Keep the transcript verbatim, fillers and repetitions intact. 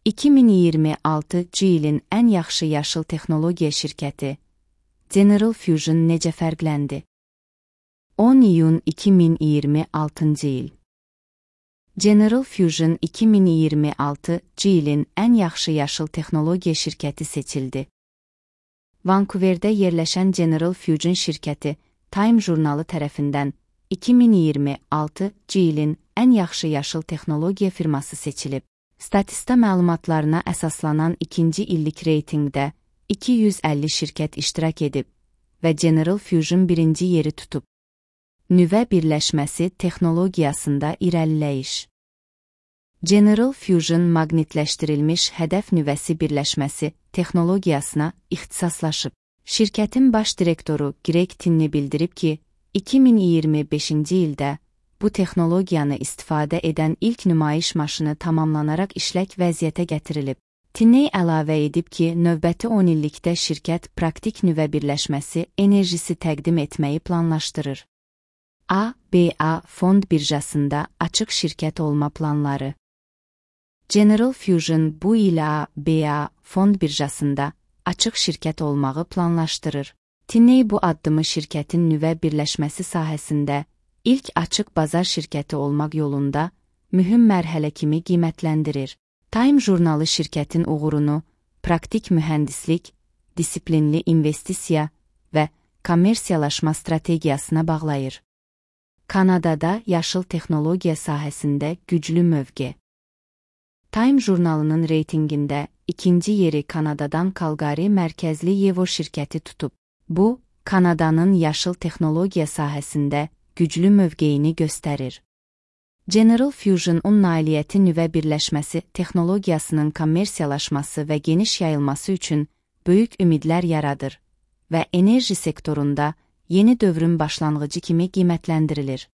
iki min iyirmi altıncı ilin ən yaxşı yaşıl texnologiya şirkəti General Fusion necə fərqləndi? on iyun iki min iyirmi altıncı il. General Fusion iki min iyirmi altıncı ilin ən yaxşı yaşıl texnologiya şirkəti seçildi. Vancouverdə yerləşən General Fusion şirkəti Time jurnalı tərəfindən iki min iyirmi altıncı ilin ən yaxşı yaşıl texnologiya firması seçilib. Statista məlumatlarına əsaslanan ikinci illik reytinqdə iki yüz əlli şirkət iştirak edib və General Fusion birinci yeri tutub. Nüvə birləşməsi texnologiyasında irəliləyiş. General Fusion maqnitləşdirilmiş hədəf nüvəsi birləşməsi texnologiyasına ixtisaslaşıb. Şirkətin baş direktoru Greg Tinney bildirib ki, iki min iyirmi beşinci ildə bu texnologiyanı istifadə edən ilk nümayiş maşını tamamlanaraq işlək vəziyyətə gətirilib. Tinney əlavə edib ki, növbəti on illikdə şirkət praktik nüvə birləşməsi enerjisi təqdim etməyi planlaşdırır. A B A fond birjasında açıq şirkət olma planları. General Fusion bu il A B A fond birjasında açıq şirkət olmağı planlaşdırır. Tinney bu addımı şirkətin nüvə birləşməsi sahəsində ilk açıq bazar şirkəti olmaq yolunda mühüm mərhələ kimi qiymətləndirir. Time jurnalı şirkətin uğurunu praktik mühəndislik, disiplinli investisiya və kommersiyalaşma strategiyasına bağlayır. Kanadada yaşıl texnologiya sahəsində güclü mövqe. Time jurnalının reytinqində ikinci yeri Kanadadan Calgary mərkəzli Yevo şirkəti tutub. Bu, Kanadanın yaşıl texnologiya sahəsində güclü mövqeyini göstərir. General Fusion-un nailiyyəti nüvə birləşməsi texnologiyasının kommersiyalaşması və geniş yayılması üçün böyük ümidlər yaradır və enerji sektorunda yeni dövrün başlanğıcı kimi qiymətləndirilir.